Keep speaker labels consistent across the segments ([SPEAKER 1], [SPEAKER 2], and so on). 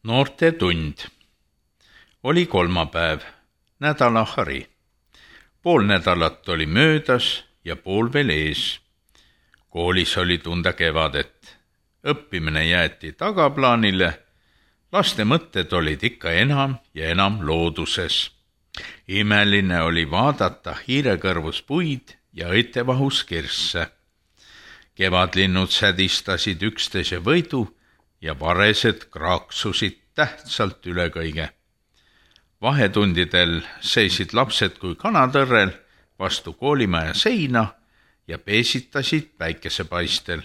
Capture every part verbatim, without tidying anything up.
[SPEAKER 1] Noortetund. Oli kolmapäev, nädalahari. Pool nädalat oli möödas ja pool veel ees. Koolis oli tunda kevadet. Õppimine jäeti tagaplaanile. Laste mõtted olid ikka enam ja enam looduses. Imeline oli vaadata hiirekõrvus puid ja õitevahus kirsse. Kevadlinnud sädistasid üksteise võidu ja varesed kraaksusid tähtsalt üle kõige. Vahetundidel seisid lapsed kui kanatõrrel vastu koolimaja seina ja peesitasid päikesepaistel.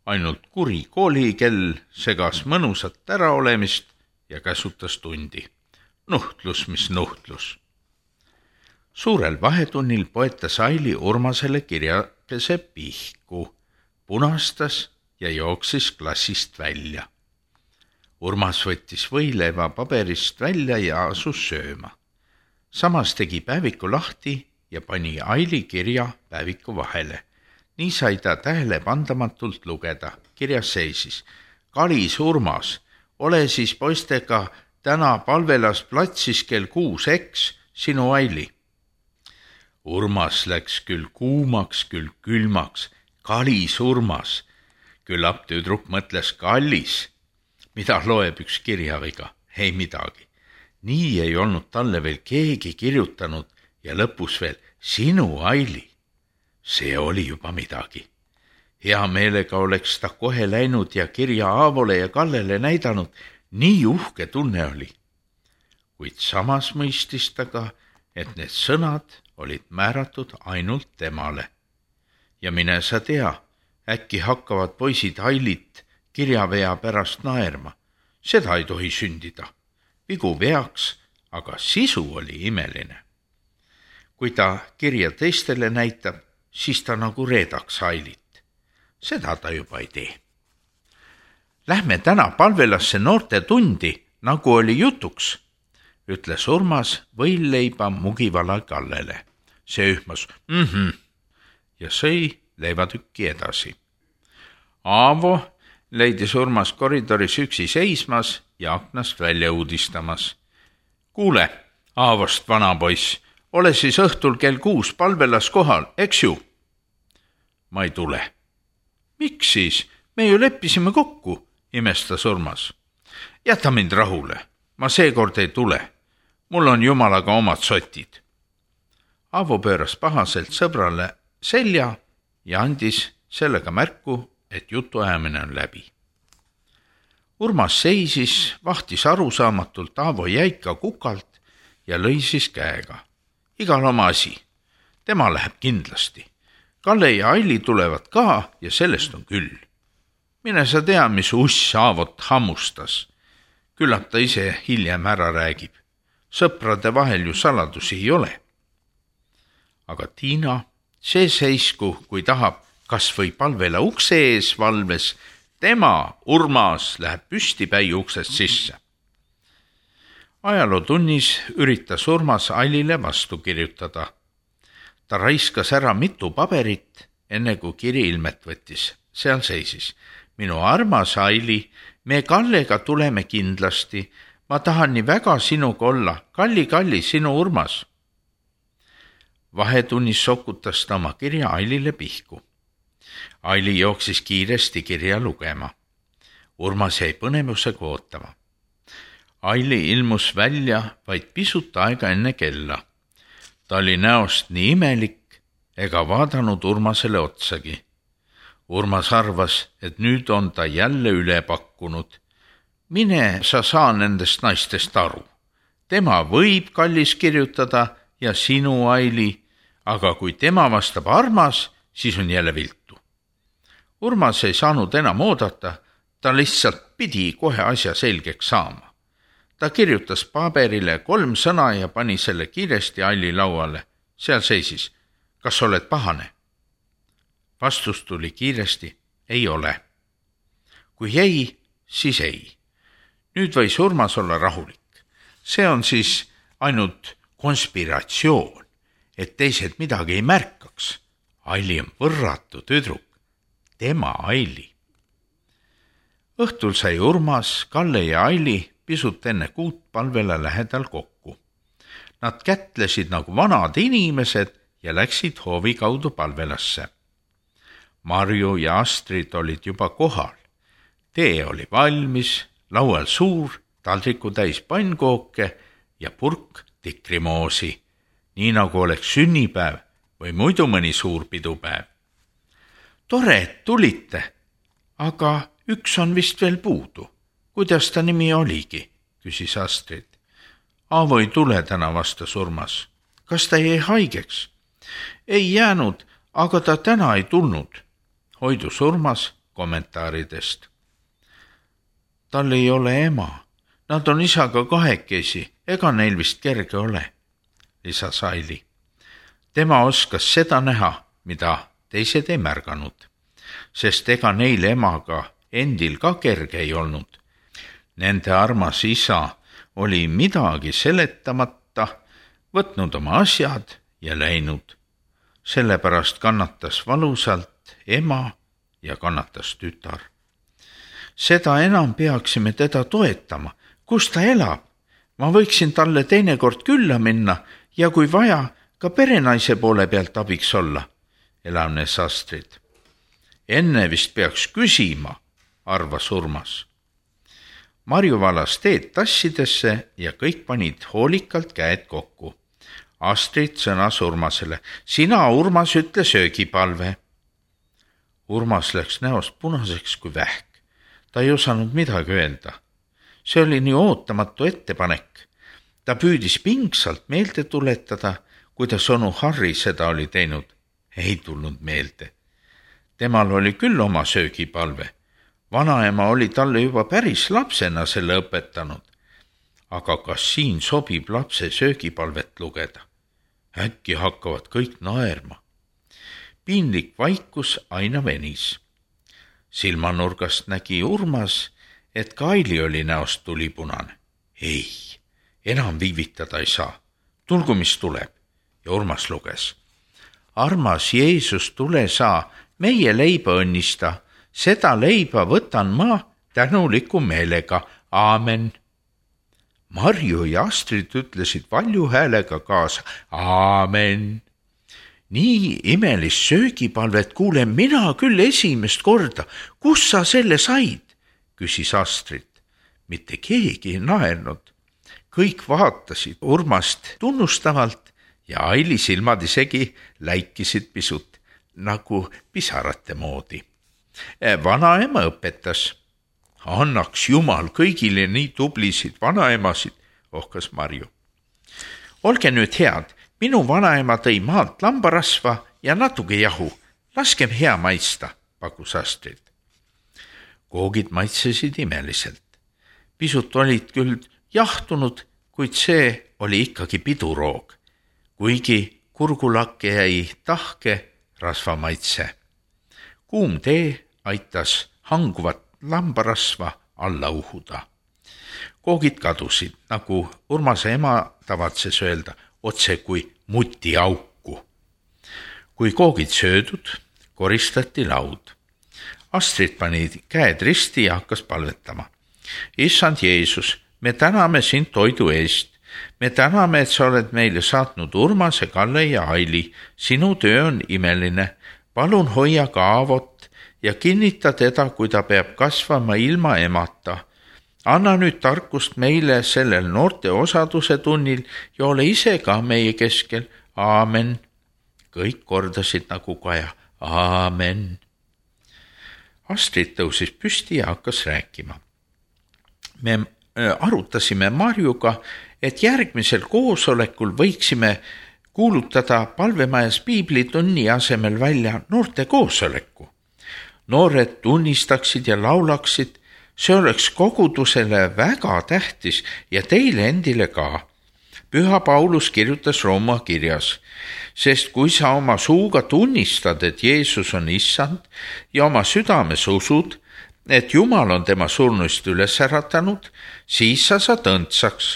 [SPEAKER 1] Ainult kuri koolikell segas mõnusat äraolemist ja käsutas tundi. Nuhtlus, mis nuhtlus. Suurel vahetunnil poetas Aili Urmasele kirjakese pihku, punastas ja jooksis klassist välja. Urmas võttis võileiva paberist välja ja asus sööma. Samas tegi päeviku lahti ja pani Aili kirja päeviku vahele. Nii sai ta tähelepandamatult lugeda. Kirjas seisis: Kalis Urmas, ole siis poistega täna Palvelas platsis kell kuus, eks, sinu Aili. Urmas läks küll kuumaks, küll külmaks. Kalis Urmas. Küllap tüdruk mõtles kallis. Mida loeb üks kirjaviga? Ei midagi. Nii ei olnud talle veel keegi kirjutanud ja lõpus veel sinu Aili. See oli juba midagi. Hea meelega oleks ta kohe läinud ja kirja Aavole ja Kallele näidanud. Nii uhke tunne oli. Kuid samas mõistis ta ka, et need sõnad olid määratud ainult temale. Ja mine sa tea, äkki hakkavad poisid Ailit kirjavea pärast naerma. Seda ei tohi sündida. Vigu veaks, aga sisu oli imeline. Kui ta kirja teistele näitab, siis ta nagu reedaks Ailit. Seda ta juba ei tee. Lähme täna Palvelasse noortetundi, nagu oli jutuks, ütles Urmas võileiba mugivala Kallele. See ühmas mhm ja sõi leivatükki edasi. Aavo leidis Urmas koridoris üksi seismas ja aknast välja uudistamas. Kuule, Aavost vanapoiss, ole siis õhtul kell kuus Palvelas kohal, eks ju? Ma ei tule. Miks siis? Me ju leppisime kokku, imestas Urmas. Jäta mind rahule, ma seekord ei tule. Mul on jumalaga omad sotid. Aavo pööras pahaselt sõbrale selja ja andis sellega märku, et jutuajamine on läbi. Urmas seisis, vahtis arusaamatult Aavo jäika kukalt ja lõi siis käega. Igal oma asi. Tema läheb kindlasti. Kalle ja Aili tulevad ka ja sellest on küll. Mine sa tea, mis uss Aavot hammustas. Küllap ta ise hiljem ära räägib. Sõprade vahel ju saladusi ei ole. Aga Tiina, see seisku, kui tahab, kas või Palvela ukse ees valves, tema, Urmas, läheb püstipäi uksest sisse. Ajalootunnis üritas Urmas Ailile vastu kirjutada. Ta raiskas ära mitu paberit, enne kui kiri ilmet võttis. Seal seisis: minu armas Aili, me Kallega tuleme kindlasti. Ma tahan nii väga sinuga olla. Kalli, kalli, sinu Urmas. Vahetunnis sokutas ta oma kirja Ailile pihku. Aili jooksis kiiresti kirja lugema. Urmas jäi põnevusega ootama. Aili ilmus välja vaid pisut aega enne kella. Ta oli näost nii imelik ega vaadanud Urmasele otsagi. Urmas arvas, et nüüd on ta jälle üle pakkunud. Mine sa saa nendest naistest aru. Tema võib kallis kirjutada ja sinu Aili, aga kui tema vastab armas, siis on jälle viltu. Urmas ei saanud enam oodata, ta lihtsalt pidi kohe asja selgeks saama. Ta kirjutas paberile kolm sõna ja pani selle kiiresti Aili lauale. Seal seisis: kas oled pahane? Vastus tuli kiiresti: ei ole. Kui ei, siis ei. Nüüd võis Urmas olla rahulik. See on siis ainult konspiratsioon, et teised midagi ei märkaks. Aili on võrratu tüdruk. Tema Aili. Õhtul sai Urmas, Kalle ja Aili pisut enne kuut palvele lähedal kokku. Nad kätlesid nagu vanad inimesed ja läksid hoovi kaudu palvelasse. Marju ja Astrid olid juba kohal. Tee oli valmis, laual suur, taldriku täis pannkooke ja purk tikrimoosi, nii nagu oleks sünnipäev või muidu mõni suur pidupäev. Tore, et tulite, aga üks on vist veel puudu. Kuidas ta nimi oligi, küsis Astrid. Aavo ei tule täna, vastas Urmas. Kas ta jäi haigeks? Ei jäänud, aga ta täna ei tulnud, hoidus Urmas kommentaaridest. Tal ei ole ema. Nad on isaga kahekesi, ega neil vist kerge ole, lisas Aili. Tema oskas seda näha, mida teised ei märganud, sest ega neil emaga endil ka kerge ei olnud. Nende armas isa oli midagi seletamata, võtnud oma asjad ja läinud. Sellepärast kannatas valusalt ema ja kannatas tütar. Seda enam peaksime teda toetama. Kus ta elab? Ma võiksin talle teinekord külla minna ja kui vaja, ka perenaise poole pealt abiks olla, elavnes Astrid. Enne vist peaks küsima, arvas Urmas. Marju valas teed tassidesse ja kõik panid hoolikalt käed kokku. Astrid sõnas Urmasele, sina, Urmas, ütle söögipalve. Urmas läks näost punaseks kui vähk. Ta ei osanud midagi öelda. See oli nii ootamatu ettepanek. Ta püüdis pingsalt meelde tuletada, kuidas onu Harri seda oli teinud. Ei tulnud meelde. Temal oli küll oma söögipalve. Vanaema oli talle juba päris lapsena selle õpetanud. Aga kas siin sobib lapse söögipalvet lugeda? Äkki hakkavad kõik naerma. Piinlik vaikus aina venis. Silmanurgast nägi Urmas, et ka Aili oli näost tulipunane. Ei, enam viivitada ei saa. Tulgu, mis tuleb. Ja Urmas luges. Armas Jeesus, tule saa, meie leiba õnnista. Seda leiba võtan ma tänuliku meelega. Aamen. Marju ja Astrid ütlesid valju häälega kaasa. Aamen. Nii imelist söögipalvet kuulen mina küll esimest korda. Kus sa selle said? Küsis Astrid. Mitte keegi ei naernud. Kõik vaatasid Urmast tunnustavalt ja Aili silmad isegi läikisid pisut nagu pisarate moodi. Vanaema õpetas. Annaks Jumal kõigile nii tublisid vanaemasid, ohkas Marju. Olge nüüd head, minu vanaema tõi maalt lambarasva ja natuke jahu. Laskem hea maista, pakkus Astrid. Koogid maitsesid imeliselt. Pisut olid küll jahtunud, kuid see oli ikkagi piduroog, kuigi kurgulakke jäi tahke rasvamaitse. Kuum tee aitas hanguvat lambarasva alla uhuda. Koogid kadusid, nagu Urmase ema tavatses öelda, otse kui muti auku. Kui koogid söödud, koristati laud. Astrid pani käed risti ja hakkas palvetama. Issand Jeesus, me täname sind toidu eest. Me täname, et sa oled meile saatnud Urmase, Kalle ja Aili. Sinu töö on imeline. Palun hoia ka Aavot ja kinnita teda, kui ta peab kasvama ilma emata. Anna nüüd tarkust meile sellel noorte osaduse tunnil ja ole ise ka meie keskel. Aamen. Kõik kordasid nagu kaja. Aamen. Astrid tõusis püsti ja hakkas rääkima. Me arutasime Marjuga, et järgmisel koosolekul võiksime kuulutada palvemajas piiblitunni asemel välja noorte koosoleku. Noored tunnistaksid ja laulaksid, see oleks kogudusele väga tähtis ja teile endile ka. Püha Paulus kirjutas Rooma kirjas, sest kui sa oma suuga tunnistad, et Jeesus on issand ja oma südames usud, et Jumal on tema surnuist üles äratanud, siis sa saad õndsaks,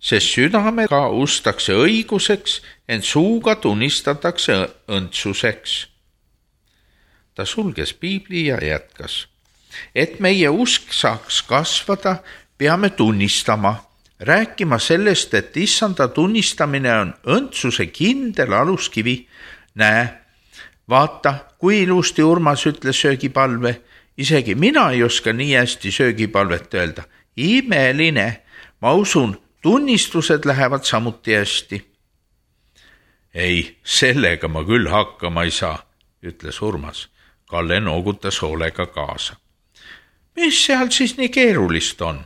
[SPEAKER 1] sest südamega ustakse õiguseks, ent suuga tunnistatakse õndsuseks. Ta sulges piibli ja jätkas. Et meie usk saaks kasvada, peame tunnistama, rääkima sellest, et issanda tunnistamine on õndsuse kindel aluskivi. Näe, vaata, kui ilusti Urmas ütles söögipalve. Isegi mina ei oska nii hästi söögipalvet öelda. Imeline, ma usun, tunnistused lähevad samuti hästi. Ei, sellega ma küll hakkama ei saa, ütles Urmas. Kalle noogutas hoolega kaasa. Mis seal siis nii keerulist on?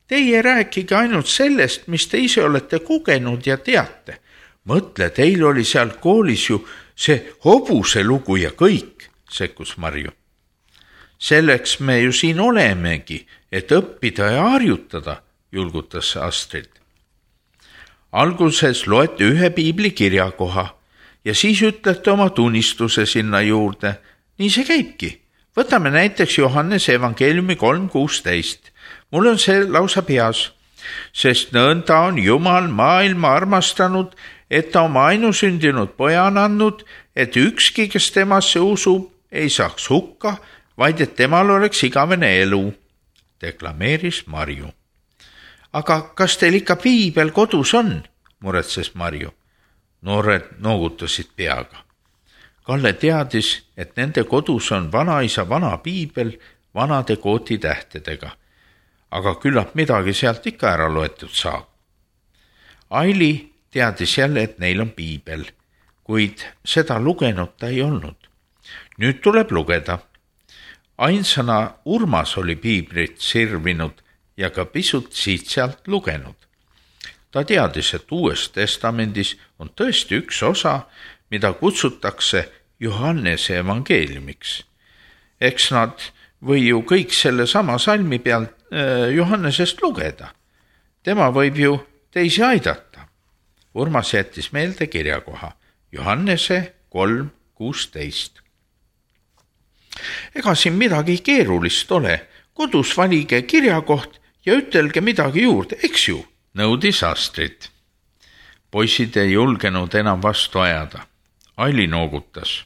[SPEAKER 1] Teie rääkige ainult sellest, mis te ise olete kogenud ja teate. Mõtle, teil oli seal koolis ju see hobuse lugu ja kõik, sekkus Marju. Selleks me ju siin olemegi, et õppida ja harjutada, julgutas Astrid. Alguses loete ühe piibli kirjakoha ja siis ütlete oma tunnistuse sinna juurde. Nii see käibki. Võtame näiteks Johannese evangeeliumi kolm kuusteist. Mul on see lausa peas, sest nõnda on Jumal maailma armastanud, et ta oma ainusündinud poja on andnud, et ükski, kes temasse usub, ei saaks hukka, vaid et temal oleks igavene elu, deklameeris Marju. Aga kas teil ikka piibel kodus on, muretses Marju. Noored noogutasid peaga. Kalle teadis, et nende kodus on vanaisa vana piibel vanade kootitähtedega, aga küllap midagi sealt ikka ära loetud saab. Aili teadis jälle, et neil on piibel, kuid seda lugenud ta ei olnud. Nüüd tuleb lugeda. Ainsana Urmas oli piiblit sirvinud ja ka pisut siit-sealt lugenud. Ta teadis, et Uues testamendis on tõesti üks osa, mida kutsutakse Johannese evangeeliumiks. Eks nad või ju kõik selle sama salmi pealt äh, Johannesest lugeda. Tema võib ju teisi aidata. Urmas jättis meelde kirjakoha. Johannese kolm kuusteist. Ega siin midagi keerulist ole. Kodus valige kirjakoht ja ütelge midagi juurde, eks ju, nõudis Astrid. Poisid ei julgenud enam vastu ajada. Aili noogutas.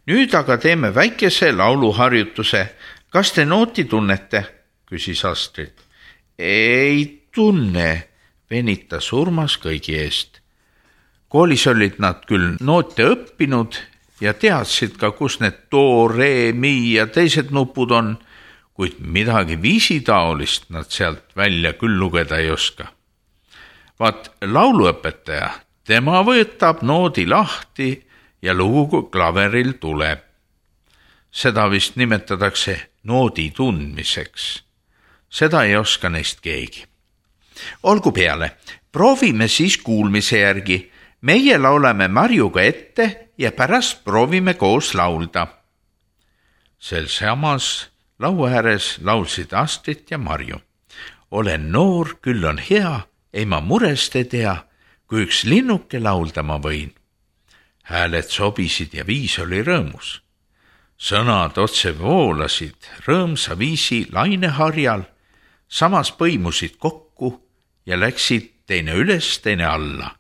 [SPEAKER 1] Nüüd aga teeme väikese lauluharjutuse. Kas te nooti tunnete? Küsis Astrid. Ei tunne, venitas Urmas kõigi eest. Koolis olid nad küll noote õppinud ja teadsid ka, kus need do, re, mi ja teised nupud on, kuid midagi viisitaolist nad sealt välja küll lugeda ei oska. Vaat lauluõpetaja, tema võtab noodi lahti ja lugu klaveril tuleb. Seda vist nimetatakse noodi tundmiseks. Seda ei oska neist keegi. Olgu peale, proovime siis kuulmise järgi. Meie laulame Marjuga ette ja pärast proovime koos laulda. Sel samas laua ääres laulsid Astrid ja Marju. Olen noor, küll on hea, ei ma murest ei tea, kui üks linnuke laulda ma võin. Hääled sobisid ja viis oli rõõmus. Sõnad otse voolasid rõõmsa viisi laineharjal, samas põimusid kokku ja läksid teine üles, teine alla.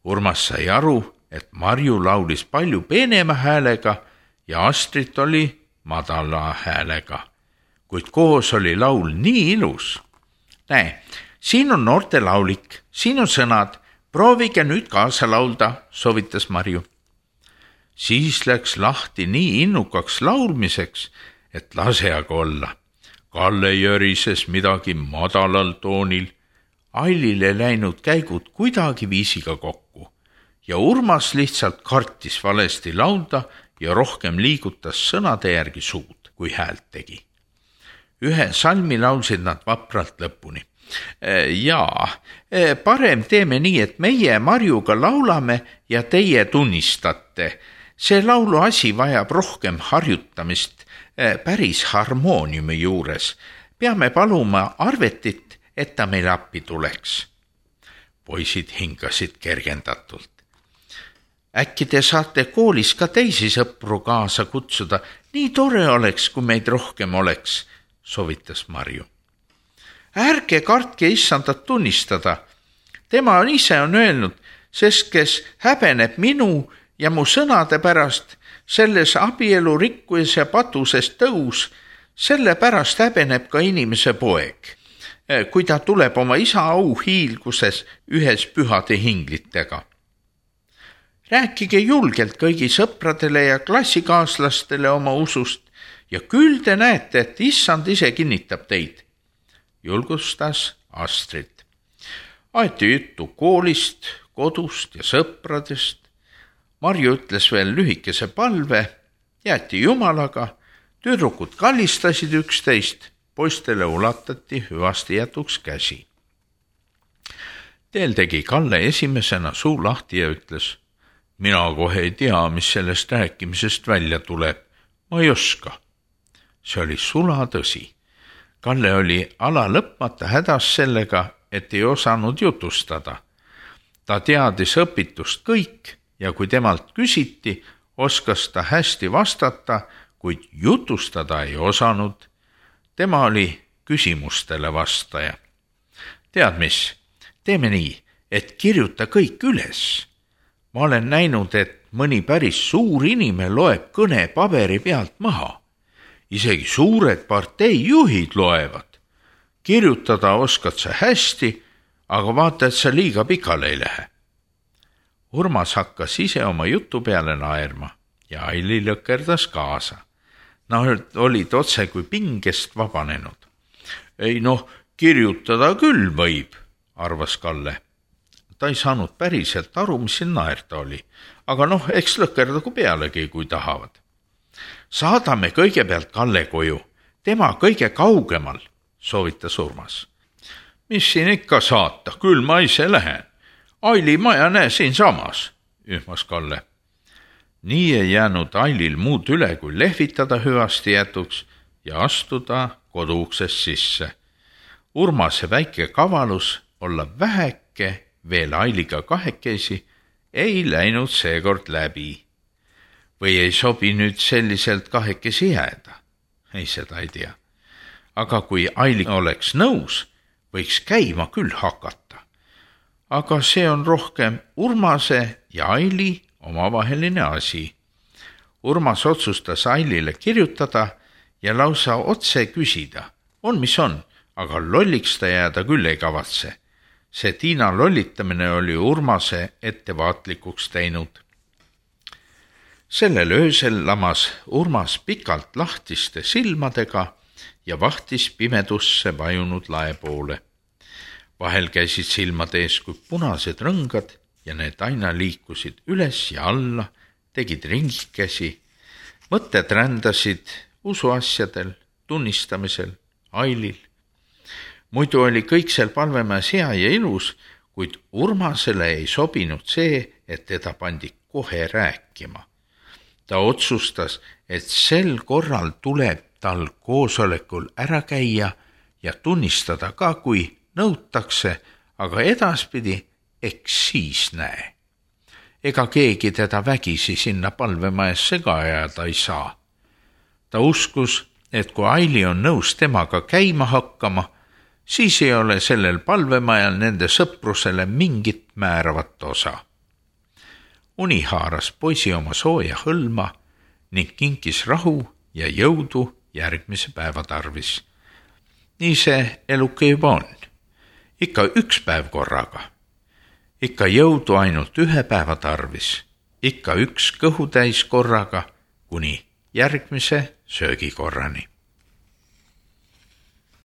[SPEAKER 1] Urmas sai aru, et Marju laulis palju peenema häälega ja Astrid oli madala häälega, kuid koos oli laul nii ilus. Näe, siin on noorte laulik, siin on sõnad, proovige nüüd kaasa laulda, soovitas Marju. Siis läks lahti nii innukaks laulmiseks, et lase aga olla. Kalle jörises midagi madalal toonil, Ailile läinud käigud kuidagi viisiga kokku ja Urmas lihtsalt kartis valesti laulda ja rohkem liigutas sõnade järgi suud, kui häält tegi. Ühe salmi laulsid nad vapralt lõpuni. Jaa, parem teeme nii, et meie Marjuga laulame ja teie tunnistate. See laulu asi vajab rohkem harjutamist päris harmooniumi juures. Peame paluma arvetit, et ta meil appi tuleks. Poisid hingasid kergendatult. Äkki te saate koolis ka teisi sõpru kaasa kutsuda. Nii tore oleks, kui meid rohkem oleks, soovitas Marju. Ärge kartke issandat tunnistada. Tema ise on öelnud, sest kes häbeneb minu ja mu sõnade pärast selles abielu rikkujas ja patuses tõus, Sellepärast häbeneb ka inimese poeg, kui ta tuleb oma isa auhiilguses ühes pühade hinglitega. Rääkige julgelt kõigi sõpradele ja klassikaaslastele oma usust ja küll te näete, et issand ise kinnitab teid, julgustas Astrid. Aeti juttu koolist, kodust ja sõpradest. Marju ütles veel lühikese palve, jäeti Jumalaga, tüdrukud kallistasid üksteist, poistele ulatati hüvasti jätuks käsi. Teel tegi Kalle esimesena suu lahti ja ütles, mina kohe ei tea, mis sellest rääkimisest välja tuleb, ma ei oska. See oli sula tõsi. Kalle oli ala lõpmata hädas sellega, et ei osanud jutustada. Ta teadis õpitust kõik ja kui temalt küsiti, oskas ta hästi vastata, kuid jutustada ei osanud. Tema oli küsimustele vastaja. Tead mis, teeme nii, et kirjuta kõik üles. Ma olen näinud, et mõni päris suur inime loeb kõne paberi pealt maha. Isegi suured parteijuhid loevad. Kirjutada oskad sa hästi, aga vaata, et sa liiga pikale ei lähe. Urmas hakkas ise oma jutu peale naerma ja Aili lõkerdas kaasa. Nad olid otse kui pingest vabanenud. Ei noh, kirjutada küll võib, arvas Kalle. Ta ei saanud päriselt aru, mis siin naerda oli, aga noh, eks lõkerdagu pealegi, kui tahavad. Saadame kõigepealt Kalle koju, tema kõige kaugemal, soovitas Urmas. Mis siin ikka saata, küll ma ise lähen. Aili maja näe siin samas, ühmas Kalle. Nii ei jäänud Ailil muud üle, kui lehvitada hüvasti jätuks ja astuda koduuksest sisse. Urmase väike kavalus olla väheke veel Ailiga kahekesi ei läinud seekord läbi. Või ei sobi nüüd selliselt kahekesi jääda? Ei, seda ei tea. Aga kui Aili oleks nõus, võiks käima küll hakata. Aga see on rohkem Urmase ja Aili omavaheline asi. Urmas otsustas Ailile kirjutada ja lausa otse küsida. On mis on, aga lolliks ta jääda küll ei kavatse. See Tiina lollitamine oli Urmase ettevaatlikuks teinud. Sellel öösel lamas Urmas pikalt lahtiste silmadega ja vahtis pimedusse vajunud lae poole. Vahel käisid silmade ees kui punased rõngad ja need aina liikusid üles ja alla, tegid ringikesi. Mõtted rändasid usuasjadel, tunnistamisel, Ailil. Muidu oli kõik seal palvemäes hea ja ilus, kuid Urmasele ei sobinud see, et teda pandi kohe rääkima. Ta otsustas, et sel korral tuleb tal koosolekul ära käia ja tunnistada ka, kui nõutakse, aga edaspidi eks siis näe. Ega keegi teda vägisi sinna palvemaesse ka ajada ei saa. Ta uskus, et kui Aili on nõus temaga käima hakkama, siis ei ole sellel palvemajal nende sõprusele mingit määravat osa. Uni haaras poisi oma sooja hõlma ning kinkis rahu ja jõudu järgmise päeva tarvis. Nii see eluke juba on. Ikka üks päev korraga. Ikka jõudu ainult ühe päeva tarvis. Ikka üks kõhutäis korraga kuni järgmise söögikorrani.